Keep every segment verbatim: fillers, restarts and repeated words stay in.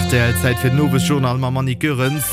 Rtl, Zäit fir den Owesjournal mam Annick Goerens.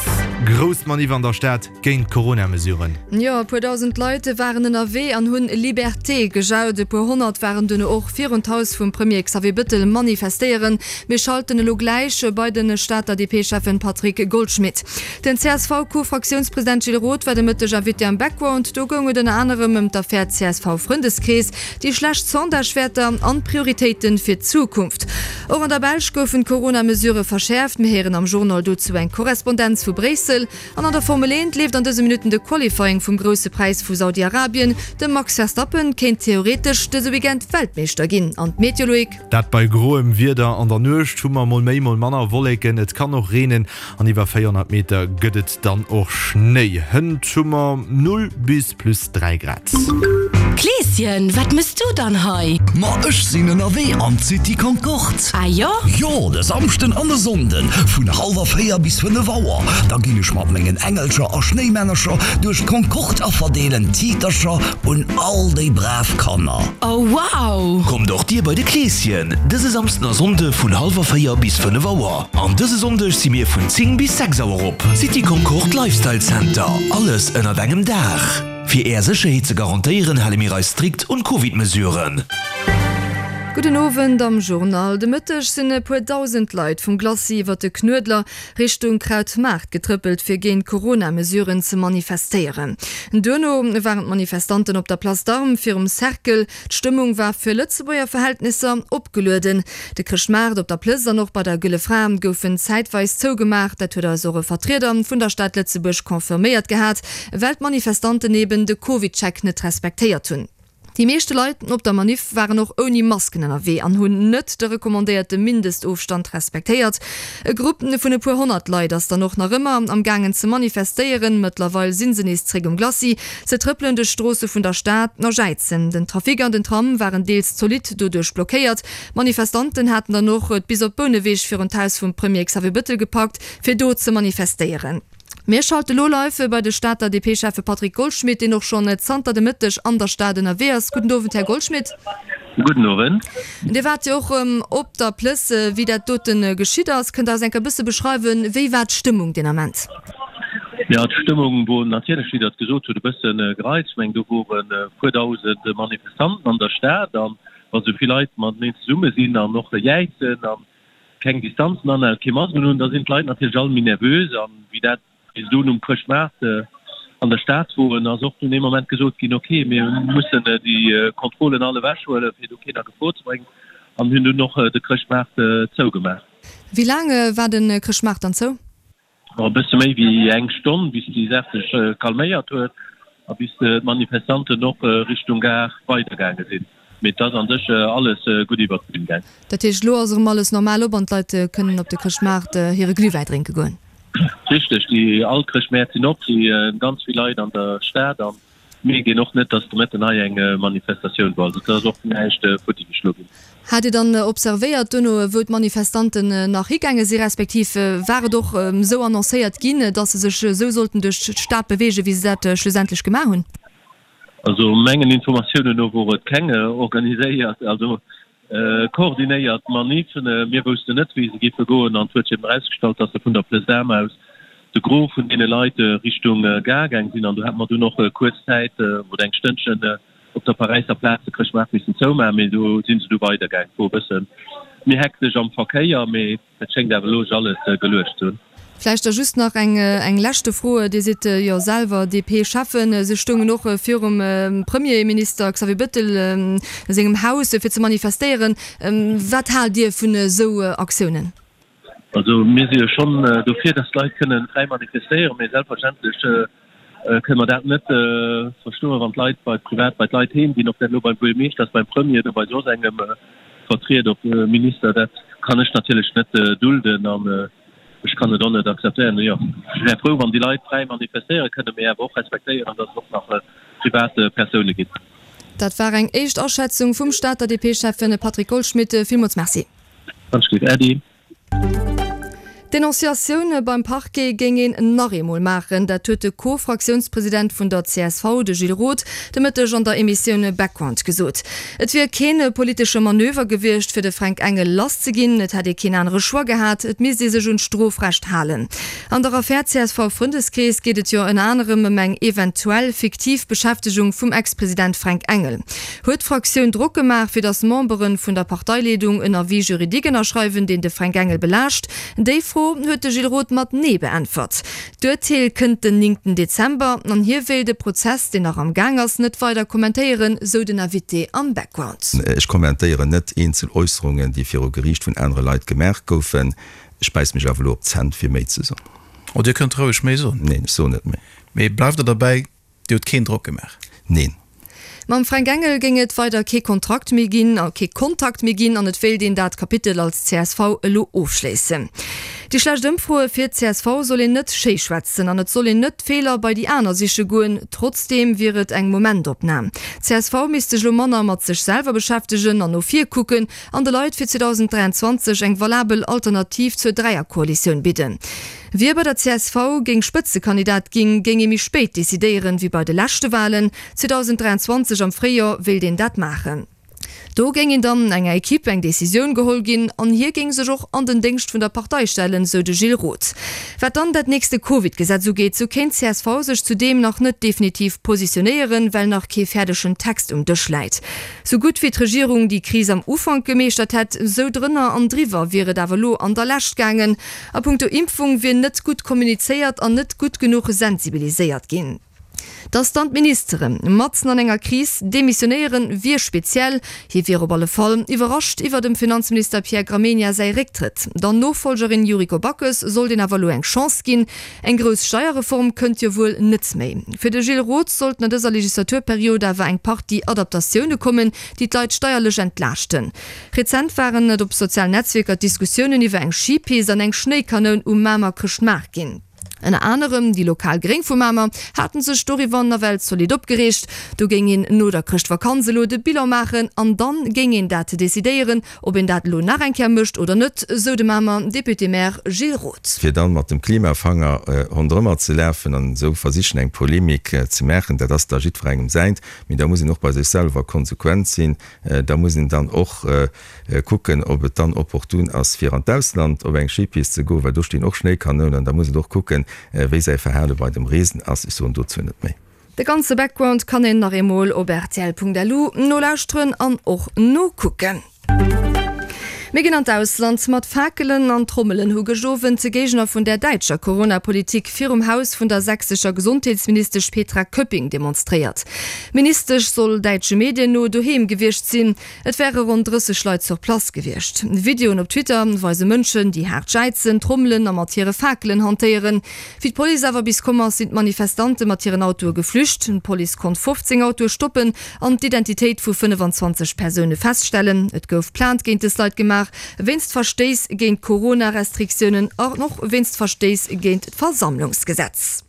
Grouss Maniff an der Stad géint d'Corona-Mesuren. Jo, e puer dausend Leit waren ënnerwee an hunn Liberté gejaut. E puer honnert waren duerno och virun d'Haus vum Premier Xavier Bëttel manifestéieren. Mir schalten elo gläich bei de Stater D P-Schäffen Patrick Goldschmidt. Den C S V-Co-Fraktiounspresident Gilles Roth war de Mëtteg Invité am Background. Do goung et ënner anerem ëm d'Affär C S V-Frëndeskrees, déi schlecht Sondagewäerter an d'Prioritéite fir d'Zukunft. Och an der Belsch goufen d'Corona-Mesurë verschäerft. Mir héieren am Journal dozou eng Korrespondenz vu Bréissel. An an der Formel eent leeft an dëse Minutten de Qualifying vum Grousse Präis vu Saudi-Arabien. De Max Verstappen kéint theoretesch dëse Weekend Weltmeeschter ginn. An d'Meteo, Loïc? Dat bei groem Wieder. An der Nuecht hu mer mol méi, mol manner Wolleken, et kann och reenen an iwwer véierhonnert Meter gëtt et dann och Schnéi. Hënt hu mer null bis plus dräi Grad. Kleeschen, wat mëss du dann hei? Ma ech sinn ënnerwee an d'City Concorde. Ah jo? Jo, de Samschden an de Sonnden vun hallwer véier bis fënnef Auer. Da ginn ech mat mengen Engelcher a Schnéimännercher duerch d'Concorde a verdeelen Tiitercher un all déi brav Kanner. Oh wow! Kommt och dir bei de Kleeschen dëse Samsden a Sonnde vun hallwer véier bis fënnef Auer. An dëse Sonndeg si mir vun zéng bis sechs Auer op. City Concorde Lifestyle Center, alles ënnert engem Daach. Fir är Sécherheet ze garantéieren, hale mir eis strikt un d'Covid-Mesuren. Gudden Owend am Journal. De Mëtteg sinn e puer dausend Leit vum Glacis iwwer de Knuedler Richtung Krautmaart getrëppelt, fir géint d'Corona-Mesuren ze manifestéieren. Duerno waren d'Manifestanten op der Place d'Armes virum Cercle. D'Stëmmung war fir Lëtzebuerger Verhältnisser opgelueden. De Chrëschtmaart op der Plëss an och bei der Gëlle Fra goufen zäitweis zougemaach. Dat huet eis och e Vertrieder vun der Stad Lëtzebuerg confirméiert gehat, well d'Manifestanten eben de CovidCheck net respektéiert hunn. Déi meeschte Leit op der Maniff waren och ouni Masken ënnerwee an hunn net de recommandéierte Mindestofstand respektéiert. E Grupp vun e puer honnert Leit ass dann och nach ëmmer am gaangen ze manifestéieren. Mëttlerweil si se nees zréck um Glacis. Se trëppelen duerch d'Stroosse vun der Stad a jäizen. Den Trafic an den Tram waren deels zolidd doduerch blockéiert. D'Manifestanten haten dann och et bis op Bouneweg virun d'Haus vum Premier Xavier Bëttel gepackt, fir do ze manifestéieren. Mir schalte lo live bei de Stater D P-Schäffe Patrick Goldschmidt, deen och schonn zanter de Mëtteg an der Stad ënnerwee ass. Gudden Owend, Här Goldschmidt. Gudden Owend. Dir waart jo och op der Plëss, wéi dat dote geschitt ass. Kënnt Der eis eng Kéier e bësse beschreiwen, wéi war d'Stëmmung deen Ament? Jo, d'Stëmmung wor natierlech, wéi Der et gesot hutt, e bësse gereizt. Ech mengen, do woren e puer dausend Manifestanten an der Stad. An wa sou vill Leit mateneen zesumme sinn an och jäizen a keng Distanzen anhalen, kee Masken hunn, da sinn d'Leit natierlech all méi nervös. An wéi dat bis dunn um Chrëschtmaart an der Stad woren, ass och dunn ee Moment gesot ginn, ok, mir mussen déi Kontrollen all ewechhuelen, fir do keen a Gefor ze bréngen, an hunn dunn och de Chrëschtmaart zougemaach. Wéi laang war de Chrëschtmaart dann zou? E bësse méi wéi eng Stonn, bis déi Saach sech calméiert huet a bis d'Manifestanten och Richtung Gare weidergaange sinn. Mee et ass an sech alles gutt iwwert d'Bün gaang. Dat heescht, elo ass erëm alles normal op an d'Leit kënnen op de Chrëschtmaart hire Glühwäi drénke goen? Richteg, déi all Chrëschtmäert sinn op, si ganz vill Leit an der Stad an mierkt een och net, datt de Mëtten hei eng Manifestatioun wor. Also et ass och näischt futti geschloe ginn. Hat Dir dann observéiert duerno, wou d'Manifestanten nach higaange si, respektiv war et och esou annoncéiert ginn, datt se sech esou sollten duerch d'Stad beweegen, wéi se dat schlussendlech gemaach hunn? Also mengen Informatiounen no wor et keng organiséiert, also koordinéiert Manif. Mir woussten net, wéi se géife goen an et huet sech eben erausgestallt, datt se vun der Place d'Armes aus de Gros vun deene Leit Richtung Gare gaang sinn an do hat mer dunn och kuerz Zäit oder eng Stënnchen op der Paräisser Plaz de Chrëschtmaart missen zoumaachen, mee do si se du weidergaang. Et wor e bësse méi hektesch am Verkéier, mee et schéngt awer elo sech alles geluecht ze hunn. Vläicht da just nach eng eng leschte Fro. Dir sidd jo selwer D P-Schäffen. Se stoungen och virum Premierminister Xavier Bëttel sengem Haus fir ze manifestéieren. Wat haalt Dir vun esou Aktiounen? Also mir si jo schonn dofir, datt d'Leit kënne fräi manifestéieren, mee selbstverständlech kënne mer dat net verstoen, wann d'Leit bei privat bei d'Leit heem ginn, ob dat elo beim Buergermeeschter ass, beim Premier oder bei soss engem Vertrieder, ob Minister. Dat kann ech natierlech net dulden an ech kann et och net akzeptéieren. Jo, ech wär frou, wann déi Leit fräi manifestéiere kënnen, mee awer och respektéieren, datt et och nach privat Persoune ginn. Dat war eng éischt Aschätzung vum Stater D P-Schäffen Patrick Goldschmidt. Villmools Merci. Ganz gutt. Äddi. D'Denonciatioune beim Parquet géing een nach eemol maachen, dat huet de Co-Fraktiounspresident vun der csv, de Gilles Roth, de Mëtteg an der Emissioun Background gesot. Et wier kee politesche Manöver gewiescht, fir de Fränk Engel lass ze ginn. Et hätt ee keen anere Choix gehat, et misst ee sech un d'Strofrecht halen. An der Affär CSV-Frëndeskrees geet et jo ënner anerem ëm eng eventuell fiktiv Beschäftegung vum Ex-President Fränk Engel. Huet d'Fraktioun Drock gemaach, fir datt Membere vun der Parteileedung en Avis juridique ënnerschreiwen, deen de Fränk Engel belaascht? Déi Fro huet de Gilles Roth mat Nee beäntwert. D'Urteel kënnt den néngten Dezember an hie wéilt e Prozess, deen nach am Gaang ass, net weider kommentéieren, sou den Invité am Background. Ech kommentéieren net eenzel Äusserungen, déi viru Geriicht vun anere Leit gemaach goufen. Ech bäiss mech awer elo op d'Zänn, fir méi ze soen. Oh, Dir kënnt roueg méi soen. Neen, ech soen net méi. Mee bleift Der derbäi, Dir hutt keen Drock gemaach? Neen. Mam Fränk Engel géing et weider kee Kontrakt méi ginn, kee Kontakt méi ginn an et wéilt een dat Kapitel als csv elo ofschléissen. Déi schlecht Ëmfroe fir d'CSV soll een net schéi schwätzen an et soll een net d'Feeler bei déi aner siche goen. Trotzdeem wier et eng Momentopnam. D'CSV misst sech elo manner mat sech selwer beschäftegen an no vir kucken an de Leit fir zweedausend dräianzwanzeg eng valabel Alternativ zur Dräierkoalitioun bidden. Wie bei der csv géing Spëtzekandidat ginn, géing ee méi spéit decidéieren, wéi bei de leschte Walen. zweedausend dräianzwanzeg am Fréijoer wéilt een dat maachen. Do géing een dann enger Ekipp eng Decisioun geholl ginn an hie géing sech och an den Déngscht vun der Partei stellen, sou de Gilles Roth. Wat dann dat nächste Covid-Gesetz ugeet, sou kéint csv sech zudeem nach net definitiv positionéieren, well nach kee fäerdegen Text um Dësch läit. Sou gutt wéi d'Regierung déi Kris am Ufank gemeeschtert hätt, sou drënner an driwwer wier et awer elo an der Lescht gaangen. A punkto Impfung wier net gutt kommunizéiert an net gutt genuch sensibiliséiert ginn. Dass dann d'Ministere matzen an enger Kris demissionéieren, wier speziell. Hie wier op alle Fall iwwerrascht iwwer dem Finanzminister Pierre Gramegna säi Récktrëtt. Der Nofollgerin Yuriko Backes sollt een awer elo eng Chance ginn. Eng grouss Steierreform kënnt jo wuel net méi. Fir de Gilles Roth sollten an dëser Legislaturperiod awer eng Partie Adaptatioune kommen, déi d'Leit steierlech entlaaschten. Rezent waren et op sozialen Netzwierker d'Diskussiounen iwwer eng Schipist an eng Schnéikanoun um Mamer Chrëschtmaart ginn. Ënner anerem déi lokal Gréng vu Mamer haten sech doriwwer nawell zolidd opgereegt. Do géing een no der Chrëschtvakanz elo de Bilan maachen an dann géing een dat decidéieren, ob een dat elo nach eng Kéier mécht oder net, sou de Mamer Député-Maire Gilles Roth. Fir dann mat dem Klimafanger ronderëmmer ze lafen an esou versichen eng Polemik ze maachen, dat ass da jiddwerengem säint. Mee da muss een och bei sech selwer konsequent sinn. Da muss een dann och kucken, ob et dann opportun ass, fir an d'Ausland op eng Skipist ze goen, well do stinn och Schnéikanounen. Da muss een och kucken, wéi säi Verhale bei dem Reesen ass. Ech soen dozou net méi. De ganze Background kann een nach eemol op rtl.lu nolauschteren an och nokucken. Mir ginn an d'Ausland. Mat Fakelen an Trommelen hu gëscht Owend d'Géigner vun der däitscher Corona-Politik virum Haus vun der sächsescher Gesondheetsministesch Petra Köpping demonstréiert. D'Ministesch soll däitsche Medien no doheem gewiescht sinn. Et wäre ronn drësseg Leit sur place gewiescht. Videoen op Twitter weise Mënschen, déi haart jäizen, trommelen a mat hire Fakelen hantéieren. Wéi d'Police awer bis komm ass, sinn d'Manifestante mat hiren Autoe geflücht. D'Police konnt fofzéng Autoe stoppen an d'Identitéit vu fënnefanzwanzeg Persoune feststellen. Et gouf Plainte géint dës Leit gemaach, wéinst Verstéiss géint d'Corona-Restriktiounen an och wéinst Verstéiss géint d'Versammlungsgesetz.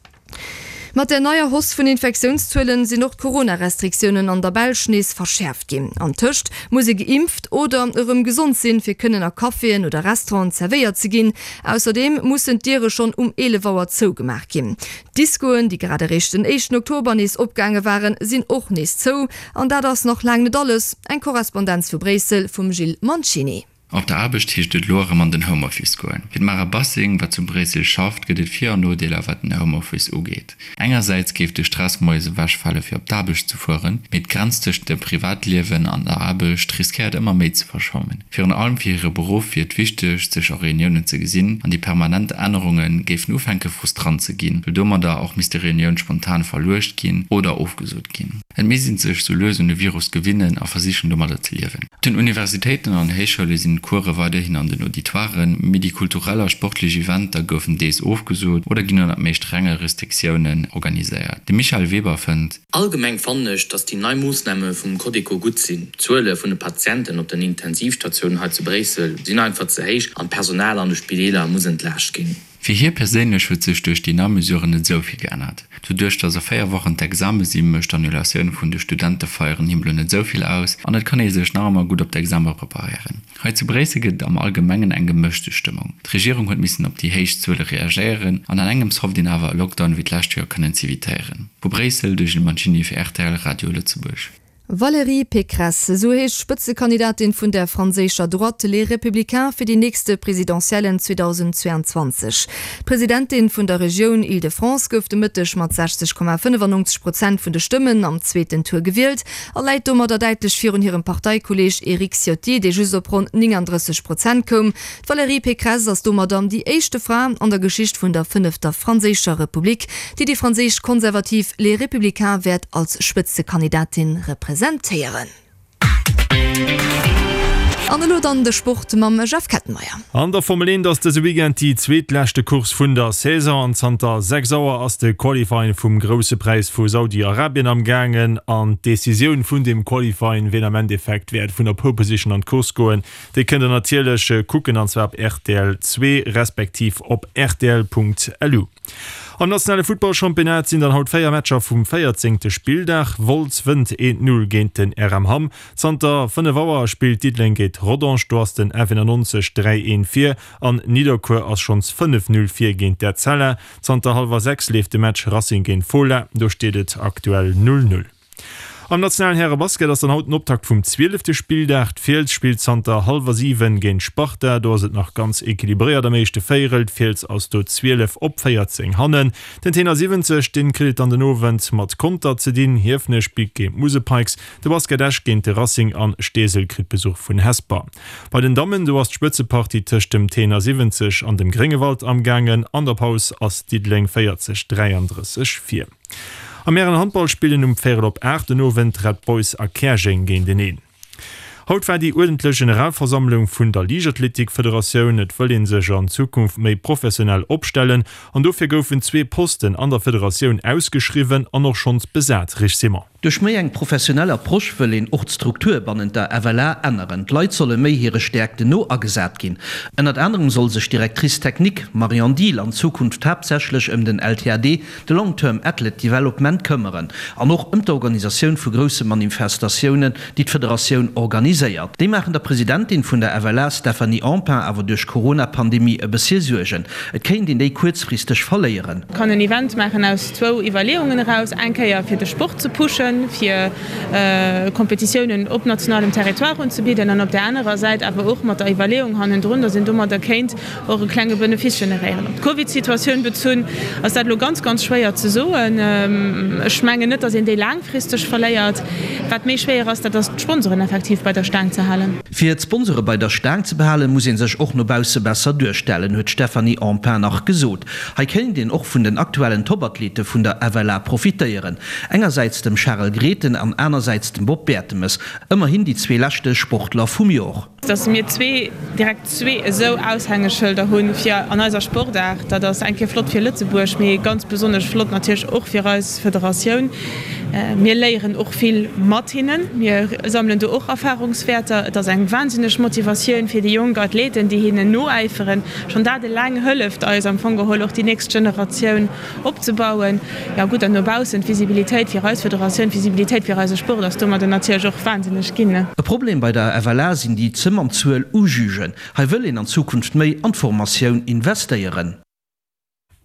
Mat der neier Hausse vun Infektiounszuelen sinn och d'Corona-Restriktiounen an der Belsch nees verschäerft ginn. Antëscht muss ee geimpft oder erëm gesond sinn, fir kënnen a Caféen oder Restauranten zerwéiert ze ginn. Ausserdeem mussen d'Diere schonn um eelef Auer zougemaach ginn. D'Discoen, déi grad eréischt den éischten Oktober nees opgaange waren, sinn och nees zou. An dat ass nach laang net alles. Eng Korrespondenz vu Bréissel vum Gilles Mancini. Op der Aarbecht heescht et elo erëm an den Homeoffice goen. Fir d'Mara Bassing, wat zu Bréissel schafft, gëtt et Vir an Nodeeler wat den Homeoffice ugeet. Engersäits géif de Stress moies ewechfale fir op d'Aarbecht ze fueren, mee d'Grenz tëscht dem Privatliewen an der Aarbecht riskéiert ëmmer méi ze verschwammen. Virun allem fir hire Beruff wier et wichteg, sech a Reuniounen ze gesinn an déi permanent Ännerunge géifen ufänke frustrant ze ginn, well domadder och misste Reunioun spontan verluecht ginn oder ofgesot ginn. Et misst ee sech sou lues un de Virus gewinnen a versichen domadder ze liewen. Op den Universitéiten an Héichschoule sinn d'Course weiderhin an den Auditoiren, mee déi kulturell a sportlech Eventer goufen deels ofgesot oder ginn ënnert méi strenge Restriktiounen organiséiert. De Michael Weber fënnt. Allgemeng fannen ech, dass déi nei Moossname vum Codeco gutt sinn. D'Zuele vun de Patienten op den Intensivstatiounen hei zu Bréissel sinn einfach ze héich an d'Personal an de Spideeler muss entlaascht ginn. Fir hie perséinlech huet sech duerch déi nei Mesuren net esou vill geännert. Doduerch, datt a véier Wochen d'Exame sinn, mécht d'Annulatioun vun de Studentefeieren him elo net esou vill aus an et kann ee sech nach ëmmer gutt op d'Exame preparéieren. Hei zu Bréissel gëtt et am Allgemengen eng gemëschte Stëmmung. D'Regierung huet missen op déi héich Zuele reagéieren an an engems hofft een awer e Lockdown wéi d'lescht Joer kënnen z'evitéieren. Vu Bréissel, de Gilles Mancini fir rtl Radio Lëtzebuerg. Valérie Pécresse, esou heescht d'Spëtzekandidatin vun der franséischer Droite, Les Républicains, fir déi nächste Presidentiellen zweedausendzweeanzwanzeg. D'Presidentin vun der Regioun Île-de-France gouf de Mëtteg mat sechzeg Komma fënnefannonzeg Prozent vun de Stëmmen am zweeten Tour gewielt a läit domadder däitlech virun hirem Parteikolleeg Éric Ciotti, dee just op ronn néngandrësseg Prozent koum. D'Valérie Pécresse ass domadder déi éischte Fra an der Geschicht vun der fënnefter franséischer Republik, déi déi franséisch Konservativ Les Républicains wäert als Spëtzekandidatin representéieren. An elo dann de Sport mam Jeff Kettenmeyer. An der Formel eent ass dëse Weekend déi zweetleschte Course vun der Saison an zanter sechs Auer ass de Qualifying vum Grousse Präis vu Saudi-Arabien am gaangen. An d'Decisioun vun deem Qualifying, wien am Endeffekt wäert vun der Pole Position an d'Course goen, déi kënnt der natierlech kucken an zwar op rtl zwee respektiv op rtl.lu. Am nationale Futtballchampionnat sinn dann haut véier Matcher vum véierzéngte Spilldag. Wolz wënnt eent Null géint den R M Hamm. Zanter fënnef Auer spillt Diddeleng géint Rodange, do ass den F eenannonzeg dräi eent vir an Nidderkuer ass schonns fënnef Null vir géint d'Etzella. Zanter hallwer sechs leeft de Match Racing géint Fola, do steet et aktuell null Null. Am nationalen Häre-Basket ass dann haut den Optakt vum zwielefte Spilldag. D'Fiels spillt zanter hallwer siwen géint Sparta. Do ass et nach ganz equilibréiert am éischte Véierel. D'Fiels ass do zwielef op véierzéng hannen. Den Tenor siwwenzeg, dee kritt et dann den Owend mat Conter ze dinn. Hiefenech spillt géint d'Musel Pikes, de Basket Esch géint de Racing an Steesel kritt Besuch vun Hesper. Bei den Dammen, do ass d'Spëtzepartie tëscht dem Tenor siwwenzeg an dem Gréngewald amgaangen. An der Paus ass Diddeleng véierzeg, dräiandrësseg vir. Am Hären-Handball spillen um véierel op aacht den Owend Red Boys a Käerjeng géinteneen. Haut war déi uerdentlech Generalversammlung vun der Liichtathletik-Federatioun. Et wëll ee sech an Zukunft méi professionell opstellen an dofir goufen zwee Posten an der Federatioun ausgeschriwwen an och schonns besat. Rich Simon. Duerch méi eng professionell Approche wëll een och d'Struktur bannent der F L A änneren. D'Leit solle méi hire Stäerkten no agesat ginn. Ënnert anerem soll sech d'Directrice technique Marion Diehl an Zukunft haaptsächlech ëm den L T A D, de Long Term Athlete Development, këmmeren an och ëm d'Organisatioun vu grousse Manifestatiounen, déi d'Federatioun organiséiert. Déi maachen der Presidentin vun der F L A Stéphanie Empain awer duerch d'Corona-Pandemie e bëssche Suergen. Et kéint een déi kuerzfristeg verléieren. Kann en Event maachen aus zwou Iwwerleeungen eraus, eng Kéier fir de Sport ze pushen, fir Kompetitiounen op nationalem Territoire unzebidden, an op där anerer Säit awer och mat der Iwwerleeung hannendrun, datt een domadder kéint och e klenge Benefice generéieren. Op d'Covid-Situatioun bezunn ass dat elo ganz, ganz schwéier ze soen. Ech mengen net, datt een déi laangfristeg verléiert. Wat méi schwéier ass, dat ass d'Sponsoren effektiv bei der Staang ze halen. Fir d'Sponsore bei der Staang ze behalen, muss ee sech och no bausse besser duerstellen, huet d'Stéphanie Empain nach gesot. Hei kéint een och vun den aktuellen Topathlete vun der F L A profitéieren, engersäits dem Charel Grethen an anersäits dem Bob Bertemes, ëmmerhin déi zwee leschte Sportler vum Jor. Dass mir zwee, direkt zwee esou Aushängeschëlder hunn fir an eiser Sportaart, dat ass eng Kéier flott fir Lëtzebuerg, mee ganz besonnesch flott natierlech och fir eis Federatioun. Mir léieren och vill mat hinnen, mir sammelen do och Erfahrungswäerter. Et ass eng wahnsinneg Motivatioun fir déi jonk Athleten, déi hinnen noäiferen. Schonn dat eleng hëlleft eis am Fong geholl och déi nächst Generatioun opzebauen. Jo gutt, an no baussen d'Visibilitéit fir eis Federatioun, d'Visibilitéit fir eise Sport ass domadder natierlech och wahnsinneg ginn. E Problem bei der F L A sinn déi ze mann Zuel u Jugen. Hei wëll een an Zukunft méi an d'Formatioun investéieren.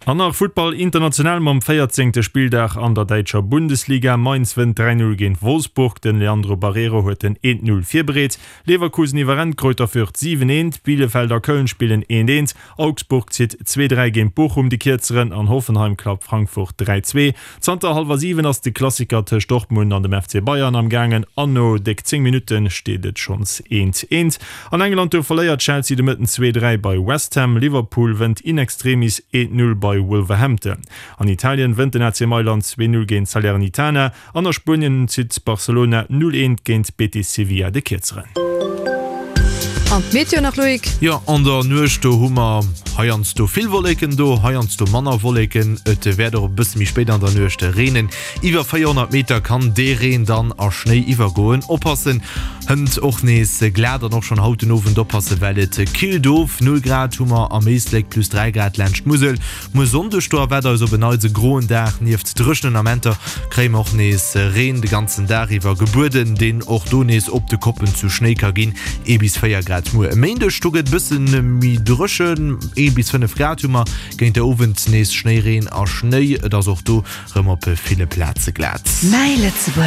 An nach Futtball international mam véierzéngte Spilldag an der däitscher Bundesliga. Mainz wënnt dräi Null géint Wolfsburg, den Leandro Barreiro huet den eent Null virbereet. Leverkusen iwwerrennt Greuther Fürth siwen eent, Bielefeld a Köln spillen eent eent, Augsburg zitt zwee dräi géint Bochum de Kierzeren an Hoffenheim klappt Frankfurt dräi zwee. Zanter hallwer siwen ass de Klassiker tëscht Dortmund an dem F C Bayern am gaangen an no déck zéng Minutte steet et schonns eent eent. An England do verléiert Chelsea de Mëtten zwee dräi bei West Ham, Liverpool wënnt in extremis eent null bei Wolverhampton. An Italien wënnt den A C Mailand zwee null géint Salernitana an a Spuenien zitt Barcelona null eent géint Betis Sevilla de Kierzeren. An d'Meteo nach, Loïc? Jo, an der Nuecht do hu mer heiansdo vill Wolleken do, heiansdo manner Wolleken. Et wäert och e bësse méi spéit an der Nuecht reenen. Iwwer véierhonnert Meter kann dee Reen dann a Schnéi iwwergoen. Oppassen, hënt och nees glat an och schonn haut den Owend oppassen, well et killt of. Null Grad hu mer am Éislek, plus dräi Grad laanscht d'Musel. Muer Sonndeg do erwaart eis op en Neits e groen Dag. Nieft dréchenen Amenter kréie mer och nees Reen de ganzen Dag iwwer gebueden, deen och do nees op de Koppen zu Schnéi ka ginn. Ee bis véier Grad glat. Muer e Méindeg, do gëtt e bësse méi dréchen, ee bis fënnef Grad hu mer, géint de Owend nees Schnéireen a Schnéi. Et ass och do rëm op ville Plaze glat. Mäi Lëtzebuerg.